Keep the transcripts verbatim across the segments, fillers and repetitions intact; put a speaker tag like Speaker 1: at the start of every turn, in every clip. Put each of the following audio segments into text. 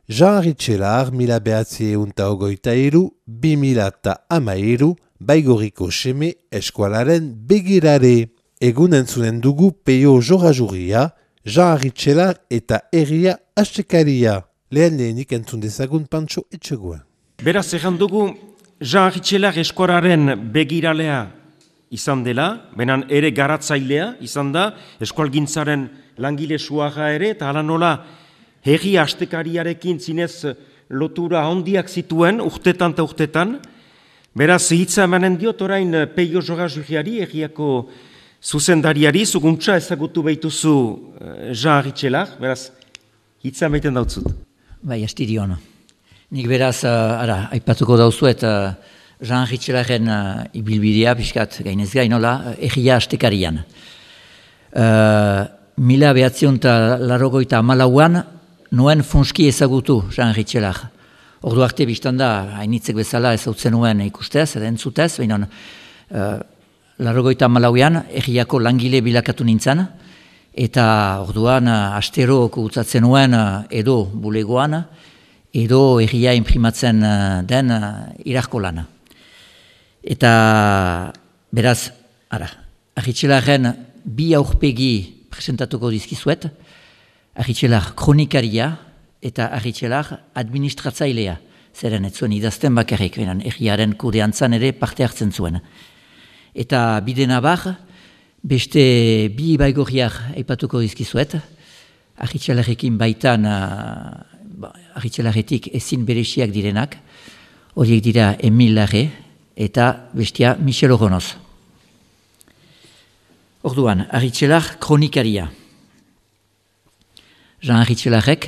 Speaker 1: Jean Arritxelar, mila behatzi eunta ogoita iru, bi mila eta amairu, Baigorriko seme eskualaren begirare. Egun entzunen dugu peio jora-juria, Jean Arritxelar eta herria astekaria. Lehen lehenik entzun dezagun Pantxo Etxegoa.
Speaker 2: Beraz, egan dugu Jean Arritxelar eskualaren begiralea izan dela, benan ere garatzailea izan da, eskualgintzaren langile suaga ere, eta hala nola herri astekariarekin zinez lotura handiak zituen, urtetan eta urtetan. Beraz, hitza emanen diot orain peio jora-juriari, herriako zuzendariari, zuguntza ezagutu behituzu Jean Arritxelar, beraz, hitza emaiten dautzut.
Speaker 3: Bai, astirion. Nik beraz, uh, ara, aipatuko dauzuet, uh, Jean Arritxelaren uh, ibilbidea, pixkat gainez gainola, herria astekarian. Uh, mila behatzion eta larogoita amalauan, nuen funski ezagutu Jean Arritxelar. Ordu arte biztan da, hainitzek bezala ezautzen nuen ikustez, edo entzutez, baina uh, larogoita amalauan, herriako langile bilakatu nintzen, eta orduan uh, astero kutsatzen nuen uh, edo bulegoan, edo herria imprimatzen uh, den uh, irarko lana. Eta beraz, ara, Arritxelaren bi aurpegi presentatuko dizkizuet, Arritxelar kronikaria eta Arritxelar administratzailea. Zeren ez zuen idazten bakarrik, benen herriaren kudeantzan ere parte hartzen zuen. Eta bidena bar, beste bi baigorriak aipatuko dizkizuet, Arritxelarekin baitan, uh, Arritxelaretik ezin bereziak direnak, horiek dira Emil Larre eta bestia Michel Oronoz. Orduan, Arritxelar kronikaria. Jean Arritxelarek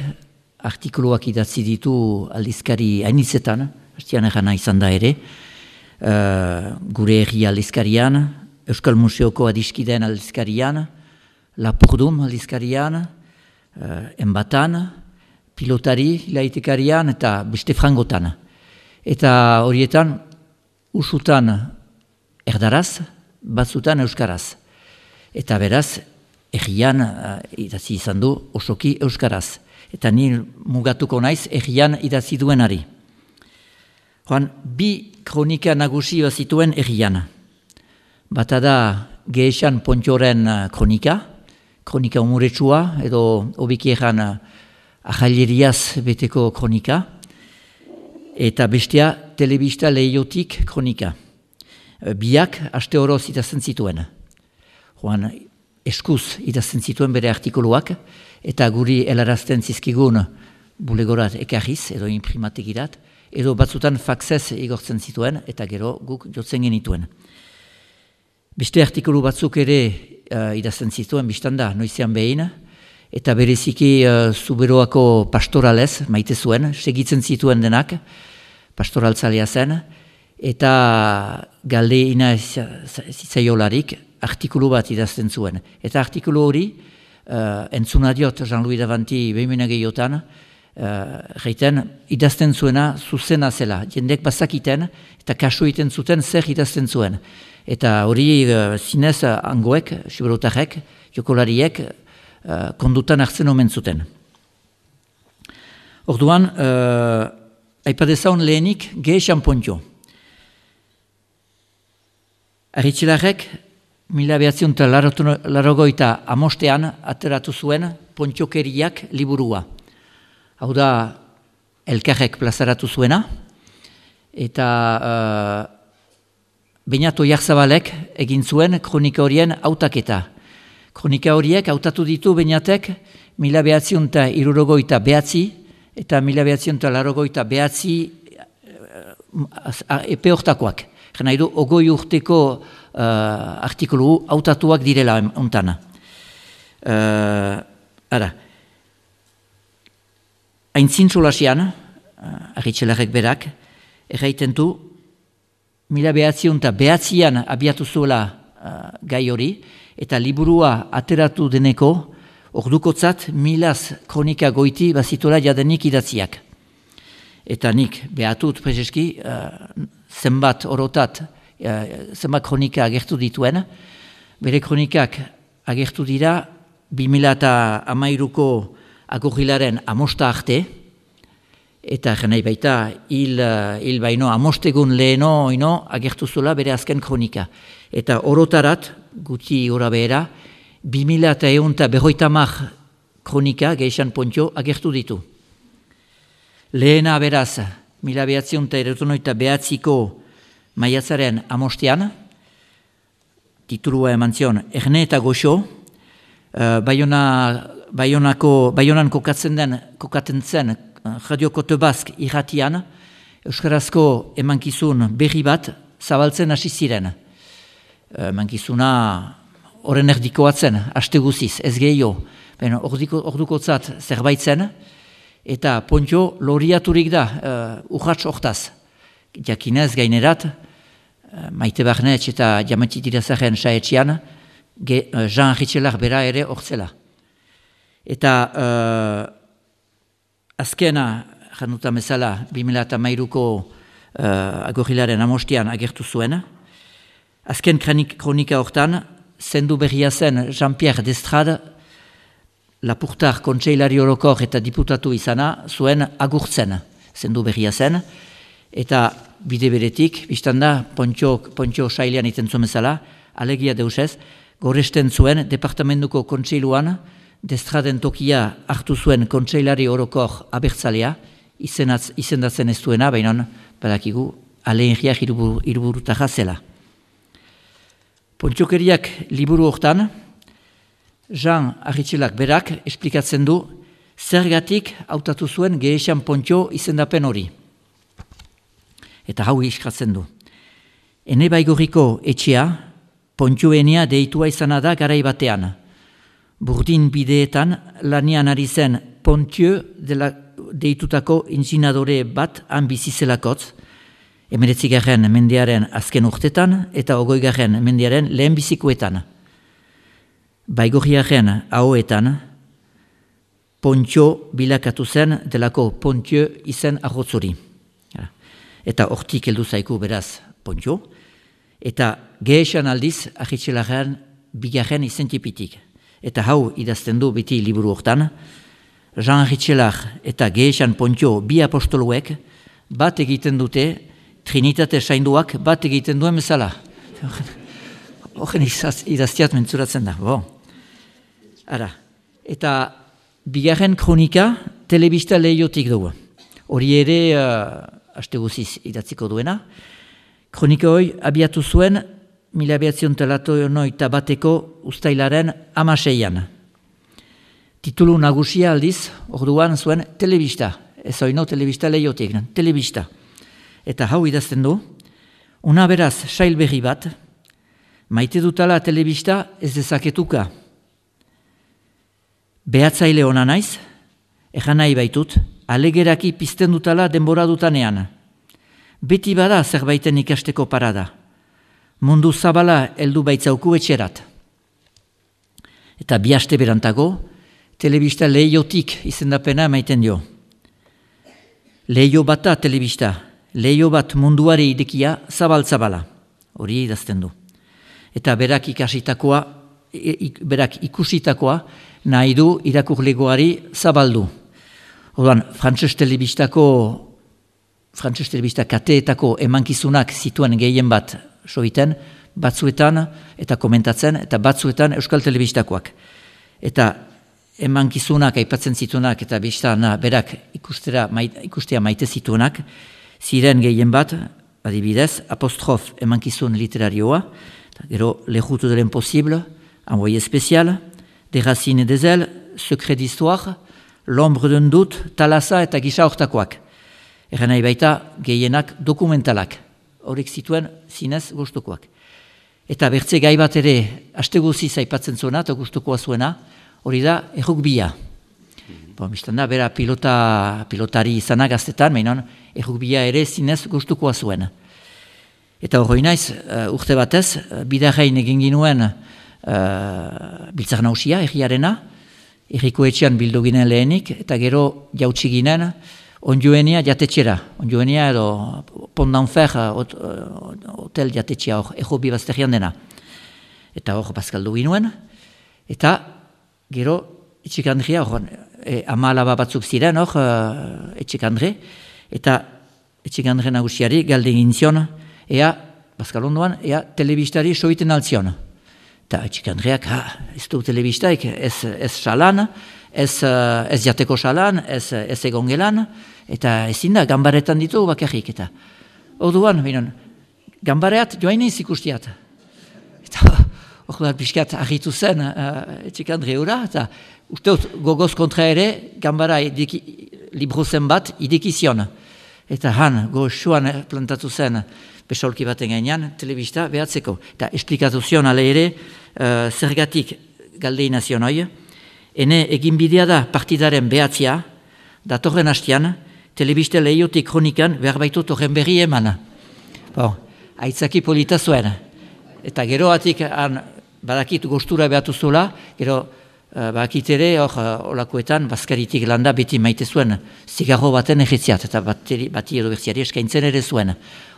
Speaker 3: artikuluak idatzi ditu aldizkari hainitzetan, hastian erana izan da ere, uh, gure herri aldizkarian, Euskal Museoko adiskideen aldizkarian, Lapurdum aldizkarian, uh, Enbatan, Pilotari ilaitekarian eta beste frangotan. Eta horietan, usutan erdaraz, batzutan euskaraz. Eta beraz, herrian uh, idatzi izan du osoki euskaraz. Eta ni mugatuko naiz herrian idatzi duenari. Joan, bi kronika nagusi zituen herrian. Bata da Gehexan Pontxoren kronika, kronika umuretsua, edo hobeki erran ahaileriaz beteko kronika, eta bestea telebista lehiotik kronika. Biak aste horoz idazten zituen. Joan, eskuz idazten zituen bere artikuluak, eta guri helarazten zizkigun bulegorat ekarriz, edo imprimategirat, edo batzutan faxez igortzen zituen, eta gero guk jotzen genituen. Beste artikulu batzuk ere uh, idazten zituen, biztanda, noizean behin, eta bereziki uh, Zuberoako pastoralez, maite zuen, segitzen zituen denak, pastoraltzalea zen, eta galdeina zitzaiolarik, artikulu bat idazten zuen. Eta artikulu hori, uh, entzuna diot Jean-Louis Davanti behimena gehiotan, uh, reiten, idazten zuena zuzena zela. Jendek bazakiten eta kasu egiten zuten zer idazten zuen. Eta hori uh, zinez uh, angoek, siberotarrek, jokolariek, uh, kondutan hartzen omen zuten. Orduan, uh, aipadezaun lehenik Gehexan Pontxo. Arritxelarek, mila behatzion eta larogoita amostean ateratu zuen Pontxokeriak liburua. Hau da, elkarrek plazaratu zuena, eta uh, Beñat Oiarzabalek egin zuen kronika horien hautaketa. Kronika horiek hautatu ditu Beñatek mila behatzion eta irurogoita behatzi, eta mila behatzion eta larogoita behatzi uh, epe hortakoak. Nahi du, ogoi urteko Uh, artikulu hautatuak direla ontana. Uh, ara, aintzintxolasian, uh, Arritxelarek berak, erraiten du, mila behatzion eta behatzian abiatu zuela uh, gai hori, eta liburua ateratu deneko, ordukotzat milaz kronika goiti bazitola jadenik idatziak. Eta nik behatut prezeski, uh, zenbat orotat, zenbat kronika agertu dituen, bere kronikak agertu dira bi mila hamairuko agorrilaren amosta arte, eta nahi baita hil, hil baino amostegun leheno ino agertu zula bere azken kronika. Eta orotarat, guti ora behera, bi mila eta egun eta berroita mar kronika Gehexan Pontxo agertu ditu. Lehena beraz, mila behatziun eta erotonoita behatziko maiatzaren amostean, titulua eman zion, Erne eta Goxo, uh, Baiona, Baionako, Baionan kokatzen den, kokatzen zen, Radio Kote Bask irratian, euskarazko emankizun berri bat zabaltzen hasi ziren. Emankizuna horren erdikoatzen, aste guziz, ez gehiago, ordukotzat zerbait zen, eta Pontxo loriaturik da, uh, urratx hortaz. Jakinez gainerat, uh, Maite Barnetx eta Jamatxi Tirazaren saetxian, uh, Jean Ritxelar bera ere hortzela. Eta uh, azkena, januta bezala, bi mila eta hamairuko uh, agorilaren amostian agertu zuen. Azken kronika hortan, zendu berria zen Jean-Pierre Destrade, Lapurtar kontseilari orokor eta diputatu izana, zuen agurtzen zendu berria zen. Eta bide beretik, biztanda, Pontxo, Pontxo sailean iten zuen bezala, alegia deusez, goresten zuen departamentuko kontseiluan, Destraden tokia hartu zuen kontseilari orokor abertzalea, izenatz, izendatzen ez duena, baina badakigu aleinriak iruburutara zela. Pontxokeriak liburu hortan, Jean Arritxelak berak esplikatzen du zergatik hautatu zuen Gehexan Pontxo izendapen hori. Eta hau iskatzen du. Ene Baigorriko etxea, Pontxoenia deitua izana da garai batean. Burdin bideetan lanian ari zen Pontxo dela deitutako inzinadore bat han bizizelakotz, emeretzigarren mendearen azken urtetan eta ogoigarren mendearen lehen bizikoetan. Baigorriaren ahoetan, Pontxo bilakatu zen delako Pontxo izen arrotzori. Eta hortik heldu zaiku beraz Pontxo, eta Gehexan aldiz Arritxelaren bigarren izentipitik. Eta hau idazten du beti liburu hortan, Jean Arritxelar eta Gehexan Pontxo bi apostoluek bat egiten dute, Trinitate sainduak bat egiten duen bezala. Horren idaztiat mentzuratzen da. Bo. Ara, eta bigarren kronika telebista lehiotik dugu. Hori ere, uh, aste guziz idatziko duena. Kronika hori abiatu zuen, mila behatzion talatoionoita bateko ustailaren amaseian. Titulu nagusia aldiz, orduan zuen telebista. Ez oino telebista lehiotik, telebista. Eta hau idazten du, una beraz sail berri bat, maite dutala telebista ez dezaketuka. Behatzaile ona naiz, egan nahi baitut, alegeraki pizten dutala denbora dutanean. Beti bada zerbaiten ikasteko parada. Mundu zabala heldu baitzauku etxerat. Eta bi aste berantago, telebista lehiotik izendapena emaiten dio. Lehio bata telebista, lehio bat munduari idekia zabal-zabala. Hori idazten du. Eta berak ikasitakoa, berak ikusitakoa, nahi du irakurlegoari zabaldu. Orduan, frantses telebistako, frantses telebista kateetako emankizunak zituen gehien bat soiten, batzuetan eta komentatzen, eta batzuetan euskal telebistakoak. Eta emankizunak aipatzen zituenak eta biztan berak ikustera, maite, ikustea maite zituenak, ziren gehien bat, adibidez, apostrof emankizun literarioa, gero Le Route de l'Impossible, Envoyé spécial, Des Racines et des Ailes, Secret d'Histoire, L'Ombre d'un doute, Talasa eta gisa hortakoak. Erren nahi baita gehienak dokumentalak, horrek zituen zinez gustukoak. Eta bertze gai bat ere, aste guziz aipatzen zuena eta gustukoa zuena, hori da errugbia. Bon, biztan da, bera pilota, pilotari izanak gaztetan, mainon, errugbia ere zinez gustukoa zuen. Eta hori naiz, uh, urte batez, uh, bidarrein egin ginuen uh, biltzar nausia, erriarena, erriko etxean bildu ginen lehenik, eta gero jautsi ginen onjoenia jatetxera. Onjoenia edo Pont d'Enfer, hot, uh, hotel jatetxea hor, erro bibazterian dena. Eta hor, bazkaldu ginuen, eta gero, etxik handria hor, e, ama alaba batzuk ziren, hor, uh, Etxekandre, eta Etxekandre nagusiari galde egin zion, ea, Bazkalondoan, ea, telebistari soiten altzion. Eta Etxekandreak, ha, ez du telebistaik, ez, ez salan, ez, uh, ez jateko salan, ez, ez egongelan, eta ezin da, gambaretan ditu bakarrik, eta orduan, binen, gambareat joain ez ikustiat. Eta hor pixkat argitu zen uh, Etxekandre hura, eta usteot gogoz kontra ere, gambara ideki, libro zen bat idekizion. Eta han, goxuan plantatu zen besolki baten gainean, telebista behatzeko. Eta esplikatu zion ale ere, uh, zergatik galdeina zion hoi, ene egin bidea da partidaren behatzia, datorren hastian, telebista lehiotik kronikan behar baitu torren berri eman. Bon, aitzaki polita zuen. Eta geroatik han badakit gostura behatu zula, gero uh, badakit ere hor uh, olakoetan Bazkaritik landa beti maite zuen zigarro baten egetziat, eta bati, bati edo berziari eskaintzen ere zuen.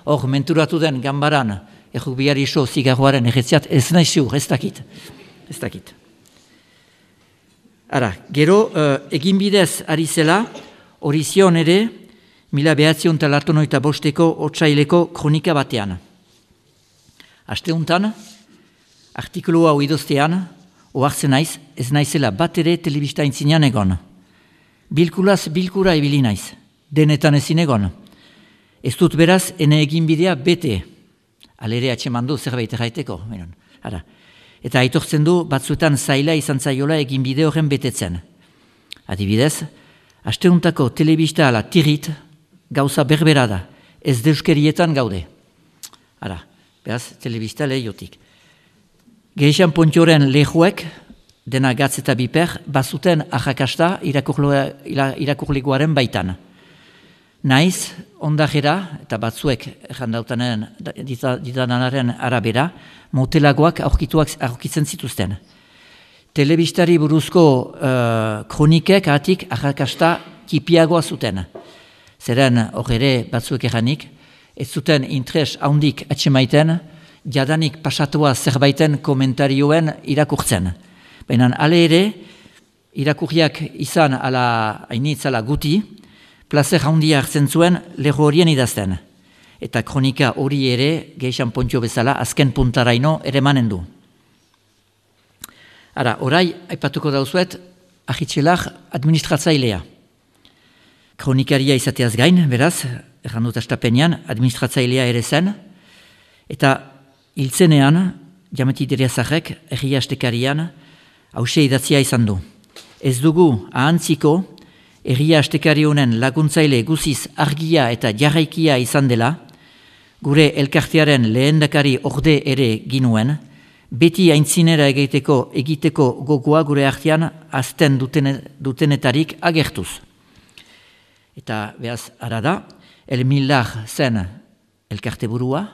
Speaker 3: Hor menturatu den gambaran errukbiari iso zigarroaren egetziat ez nahi ziur, ez dakit. Ez dakit. Ara, gero uh, egin bidez ari zela, hori zion ere, mila behatzion talartonoita bosteko otsaileko kronika batean. Asteuntan, artikulu hau idoztean, ohartzen naiz, ez naizela bat ere telebista intzinean egon. Bilkulaz bilkura ibili naiz, denetan ezin egon. Ez dut beraz, ene egin bidea bete. Alere atxeman du zerbait erraiteko. Ara. Eta aitortzen du, batzuetan zaila izan zaiola egin bide horren betetzen. Adibidez, asteuntako telebista ala tirit, gauza berbera da, ez deuskerietan gaude. Ara, beraz, telebista lehiotik. Gehixan Pontioren lehuek, dena gatz eta biper, bazuten ahakasta irakurleguaren baitan. Naiz, ondajera, eta batzuek errandautanen ditanaren arabera, motelagoak aurkituak aurkitzen zituzten. Telebistari buruzko uh, kronikek atik ahakasta kipiagoa zuten. Zeren horre batzuek erranik, ez zuten interes haundik atxemaiten, jadanik pasatua zerbaiten komentarioen irakurtzen. Baina ale ere, irakurriak izan ala hainitzala guti, plazer handia hartzen zuen leho horien idazten. Eta kronika hori ere, Gehixan Pontio bezala, azken puntaraino ere manen du. Ara, orai, aipatuko dauzuet, ahitxelar administratzailea. Kronikaria izateaz gain, beraz, errandut astapenean, administratzailea ere zen, eta hiltzenean, Jameti Deriazarrek, erri astekarian, hause idatzia izan du. Ez dugu ahantziko, erria astekari honen laguntzaile guziz argia eta jarraikia izan dela, gure elkartearen lehendakari orde ere ginuen, beti aintzinera egiteko egiteko gogoa gure artean azten duten, dutenetarik agertuz. Eta behaz ara da, Elmillar zen elkarte burua,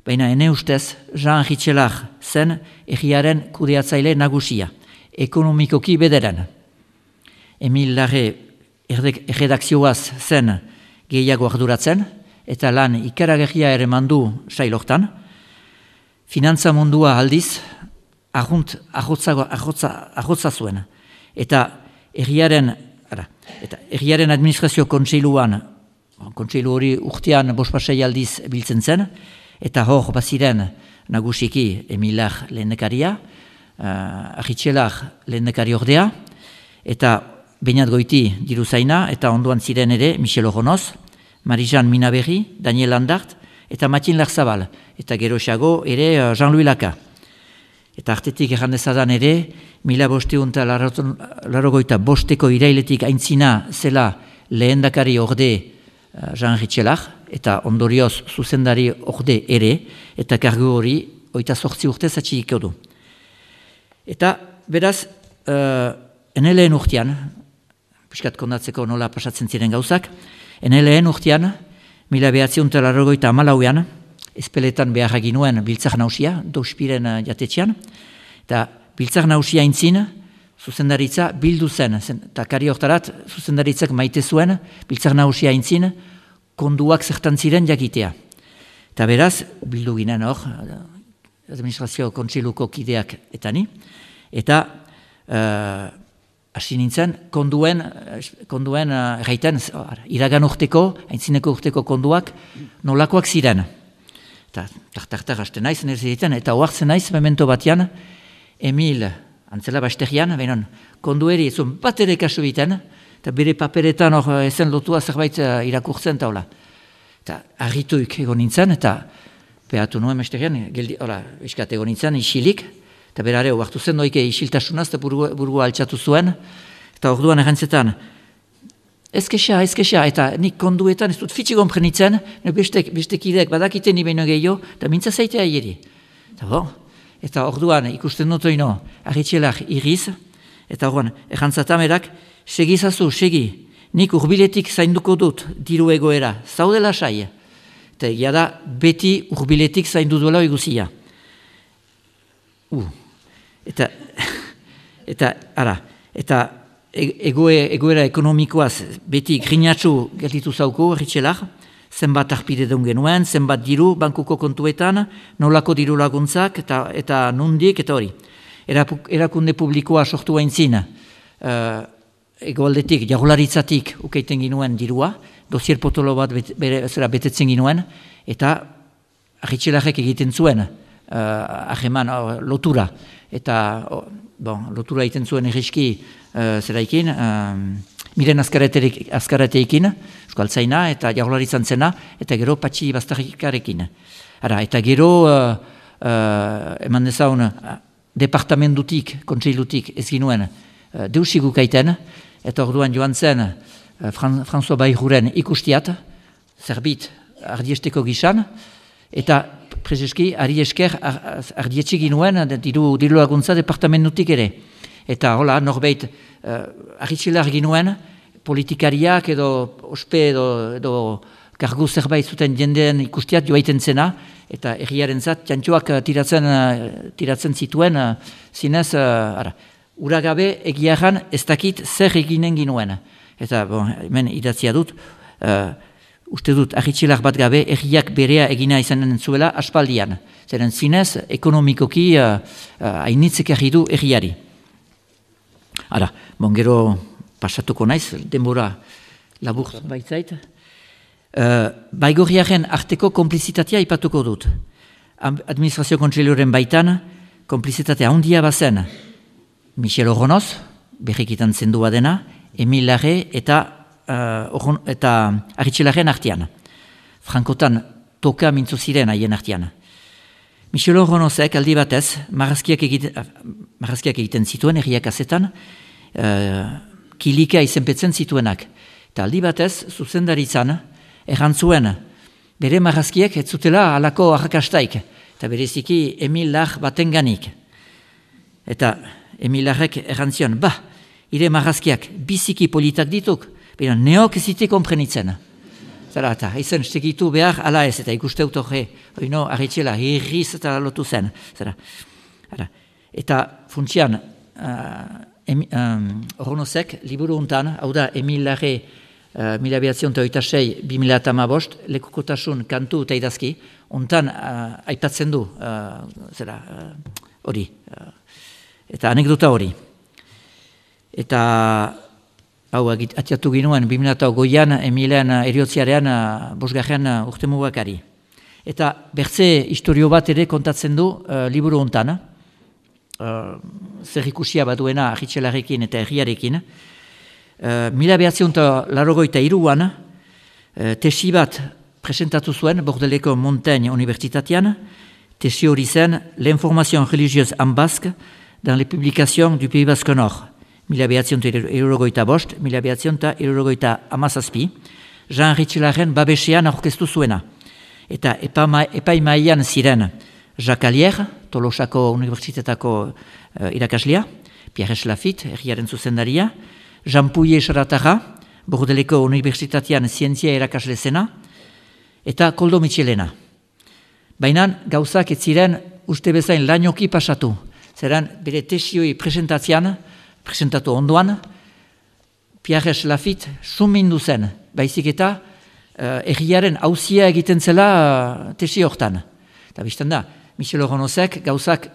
Speaker 3: baina ene ustez Jean Ritxelar zen erriaren kudeatzaile nagusia, ekonomikoki bederen. Emillarre erredakzioaz zen gehiago arduratzen, eta lan ikaragarria ere mandu sailortan. Finantza mundua aldiz, arrunt arrotza zuen. Eta erriaren, ara, eta erriaren administrazio kontseiluan, kontseilu hori urtean bospasei aldiz biltzen zen, eta hor baziren nagusiki Emillar lehendakaria, uh, Ahitxelar lehendakari ordea, eta Beñat Goiti diruzaina, eta onduan ziren ere Michel Oronoz, Marijan Minaberri, Daniel Andart, eta Matin Larzabal, eta geroxago ere Jean-Louis Laka. Eta artetik errandezadan ere, mila bosteun eta larogoita bosteko irailetik aintzina zela lehendakari orde Jean Ritxelar, eta ondorioz zuzendari orde ere, eta kargu hori oita sortzi urtez atxikiko du. Eta beraz, uh, ene lehen urtean, piskat kondatzeko nola pasatzen ziren gauzak, ene lehen urtean, mila behatziun eta larogoita amalauean, ezpeletan beharra ginuen biltzak nausia, douspiren jatetxean, eta biltzak nausia intzin, zuzendaritza bildu zen, eta kari hortarat zuzendaritzak maite zuen, biltzak nausia intzin, konduak zertan ziren jakitea. Eta beraz, bildu ginen hor, administrazio kontseiluko kideak eta ni, eta uh, hasi nintzen, konduen, konduen erraiten, iragan urteko, aintzineko urteko konduak, nolakoak ziren. Eta tartar hasten naiz, nire ziren, eta oartzen naiz, memento batean, Emil, antzela basterian, benon, kondueri ezun bat ere kasu biten, eta bere paperetan hor ezen lotua zerbait irakurtzen taula. Eta harrituik egon nintzen, eta behatu nuen mesterian, geldi, hola, iskat egon nintzen, isilik, eta berare, oartu zen doike isiltasunaz, eta burua, burua altxatu zuen, eta orduan errantzetan, ez kexa, ez kexa, eta nik konduetan ez dut fitxi komprenitzen, bestek, bestekidek badakiten ni behin gehiago, eta mintza zaitea hiri. Eta bo, eta orduan ikusten dut oino, arritxelak iriz, eta orduan, errantzatamerak, segizazu, segi, nik urbiletik zainduko dut diru egoera, zaudela sai, eta egia da, beti urbiletik zaindu duela eguzia. Uh. Eta, eta, ara, eta egoe, egoera ekonomikoaz beti grinatxu gelditu zauko, erritxelak, zenbat arpide deun genuen, zenbat diru, bankuko kontuetan, nolako diru laguntzak, eta, eta nundik, eta hori. Erakunde publikoa sortu haintzin, uh, egoaldetik, jaularitzatik ukeiten ginuen dirua, dosier potolo bat bet, bere, zera, betetzen ginuen, eta erritxelakek egiten zuen, uh, aheman uh, lotura. Eta, oh, bon, lotura egiten zuen erriski uh, zeraikin, uh, miren azkarateekin, euskaltzaina, eta jaularitzan zena, eta gero patxi bastarikarekin. Ara, eta gero, uh, uh, eman dezaun, uh, departamentutik, kontseilutik ez ginuen, uh, deusiguk aiten, eta orduan joan zen, uh, Fran, François Bayrouren ikustiat, zerbit ardiesteko gisan, eta prezeski, ari esker, ardietxe ginuen, diru, diru laguntza departamentutik ere. Eta hola, norbeit, uh, arritxelar ginuen, politikariak edo ospe edo, edo kargu zerbait zuten jendeen ikustiat joaiten zena, eta erriaren zat, txantxoak tiratzen, uh, tiratzen zituen, uh, zinez, uh, ara, uragabe egiaran ez dakit zer eginen ginuen. Eta, bon, hemen idatzia dut, uh, uste dut, arritxelak bat gabe, erriak berea egina izanen zuela aspaldian. Zeren zinez, ekonomikoki uh, uh, hainitzek erri du erriari. Ara, bon, gero pasatuko naiz, denbora labur baitzait. Uh, Baigorriaren arteko konplizitatea ipatuko dut. Administrazio kontseilioaren baitan, konplizitatea handia bazen Michel Oronoz, berrikitan zendua dena, Emil Larre eta Uh, eta arritxelaren artean. Frankotan toka mintzo ziren haien artean. Michel Oronozek aldi batez, marrazkiak egiten, marrazkiak egiten zituen, erriak azetan, uh, kilika izenpetzen zituenak. Eta aldi batez, zuzendaritzan, errantzuen, bere marrazkiak ez zutela halako arrakastaik, eta bereziki Emil Lar batenganik. Eta Emil Larrek errantzion, ba, ire marrazkiak biziki politak dituk, baina neok ez zite komprenitzen. Zara, eta izan segitu behar ala ez, eta ikuste autore, oino, arretxela, hirriz eta lotu zen. Zara, ara. Eta funtsian, uh, um, Oronozek, liburu untan, hau da, Emil Larre, uh, mila behatzion eta oita sei, bi mila eta hamabost, lekukotasun kantu eta idazki, untan uh, aipatzen du, uh, zera, hori, uh, uh, eta anekdota hori. Eta hau, atiatu ginuen, bi mila eta goian, Emilen eriotziarean, bosgarren urte mugakari. Eta bertze historio bat ere kontatzen du uh, liburu hontan, uh, zer ikusia baduena arritxelarekin eta herriarekin. Uh, mila behatzion eta larogoita iruan, uh, tesi bat presentatu zuen Bordeleko Montaigne Universitatean, tesi hori zen l'information religieuse en basque dans les publications du Pays Basque Nord. Mila behatzion eta irurogoita bost, mila behatzion eta irurogoita amazazpi, Jean Ritxelaren babesean aurkeztu zuena. Eta epaimaian ziren Jacques Allier, Tolosako Unibertsitetako uh, irakaslia, Pierre Schlafit, herriaren zuzendaria, Jean Pouillet Xaratarra, Bordeleko Unibertsitatean zientzia irakasle zena, eta Koldo Mitxelena. Baina gauzak ez ziren uste bezain lainoki pasatu. Zeran bere tesioi presentatzean, presentatu ondoan, Pierre Schlafit sumindu zen, baizik eta uh, erriaren hauzia egiten zela uh, tesi hortan. Eta bizten da, Michel Oronozek gauzak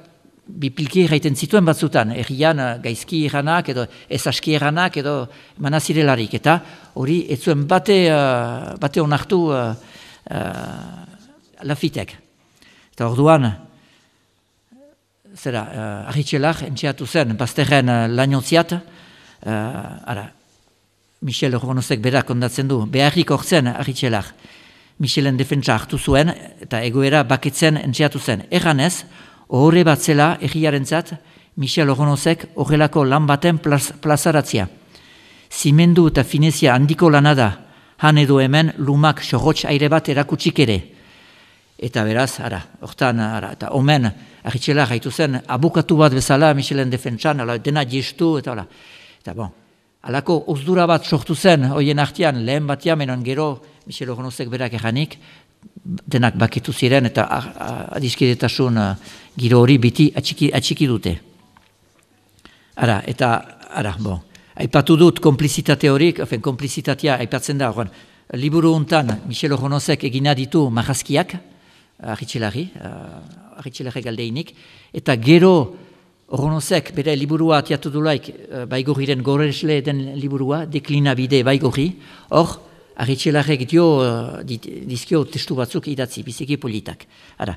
Speaker 3: bipilki erraiten zituen batzutan, errian gaizki erranak edo ezaski erranak edo manazirelarik, eta hori ez zuen bate, uh, bate onartu uh, uh, Lafitek. Eta orduan, zera, uh, Arritxelak entxeatu zen, bazterren uh, lainotziat, uh, ara, Michel Urbanozek berak kondatzen du, beharrik ortzen Arritxelak, Michelen defentsa hartu zuen, eta egoera baketzen entxeatu zen. Erranez, horre bat zela erriarentzat Michel Urbanozek horrelako lan baten plaz, plazaratzia. Zimendu eta finezia handiko lana da, han edo hemen lumak sorrotx aire bat erakutsik ere. Eta beraz, ara, hortan, ara, eta omen, Arritxelak haitu zen, abukatu bat bezala Michelen defentsan, ala, dena jestu, eta ala. Eta bon, alako ozdura bat sortu zen, hoien artean, lehen batia, menon gero, Michel Urbanozek berak erranik, denak bakitu ziren, eta adiskidetasun uh, giro hori biti atxiki, atxiki dute. Ara, eta, ara, bon, aipatu dut konplizitate horik, ofen, konplizitatea aipatzen da, oran, liburu hontan Michel Urbanozek egina ditu marrazkiak, Arritxelari, uh, Arritxelari galdeinik, eta gero Urbanozek bere liburua atiatu dulaik uh, Baigorriren goresle den liburua, deklinabide Baigorri, hor, Arritxelarek dio uh, dizkio testu batzuk idatzi, biziki politak. Ara.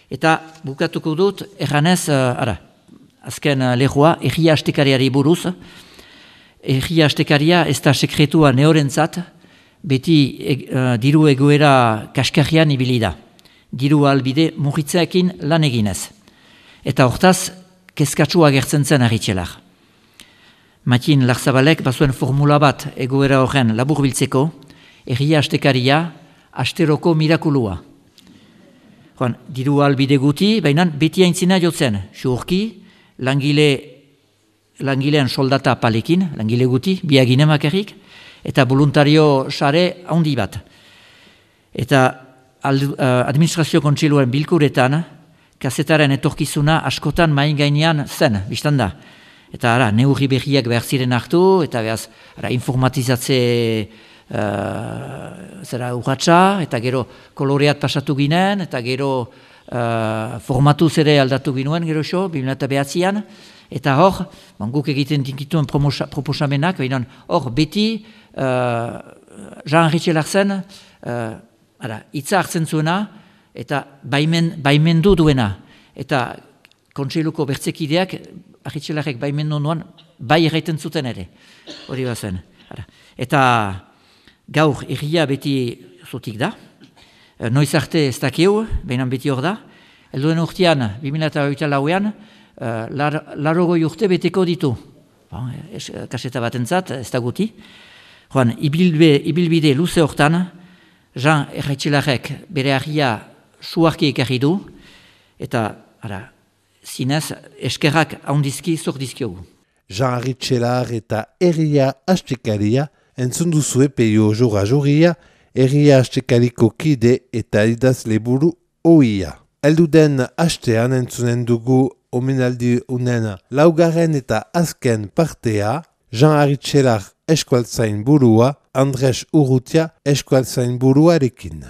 Speaker 3: Eta bukatuko dut, erranez, uh, ara, azken uh, lehua, erria astekariari buruz, erria astekaria ez da sekretua neorentzat, beti e, uh, diru egoera kaskarrian ibili da. Diru albide murritzeekin lan eginez. Eta hortaz, kezkatsua gertzen zen Arritxelar. Matin Larzabalek bazuen formula bat egoera horren laburbiltzeko, erria astekaria, asteroko mirakulua. Joan, diru albide guti, baina beti aintzina jotzen, xurki, langile, langilean soldata palekin, langile guti, biaginemak errik, eta voluntario sare handi bat. Eta administrazio kontseiluaren bilkuretan, kazetaren etorkizuna askotan main gainean zen, biztan da. Eta ara, neurri berriak behar ziren hartu, eta behaz, ara, informatizatze uh, zera urratxa, eta gero koloreat pasatu ginen, eta gero uh, formatuz ere aldatu ginuen, gero xo, bi mila bederatzian, eta hor, guk egiten dinkituen proposamenak, behinan, hor, beti, uh, Jean Arritxelak zen, uh, Ara, itza hartzen zuena, eta baimen, baimendu duena. Eta kontseiluko bertzekideak, Arritxelarek baimendu nuan, bai erraiten zuten ere. Hori bazen. Ara. Eta gaur erria beti zutik da. Noiz arte ez dakiu, behinan beti hor da. Elduen urtean, bi mila hogeita lauean, larogoi urte beteko ditu. Bon, es, kaseta batentzat, ez da guti. Joan, ibilbe, ibilbide luze hortan, Jean Arritxelarek bere argia suarki ekarri du, eta, ara, zinez, eskerrak haundizki zor dizkiogu.
Speaker 1: Jean Arritxelar eta erria astekaria entzun duzue peio jora joria, erria astekariko kide eta idazle buru oia. Elduden astean entzunen dugu omenaldi unen laugarren eta azken partea, Jean Arritxelar eskualtzain burua, Andres Urrutia eskualtzain buruarekin.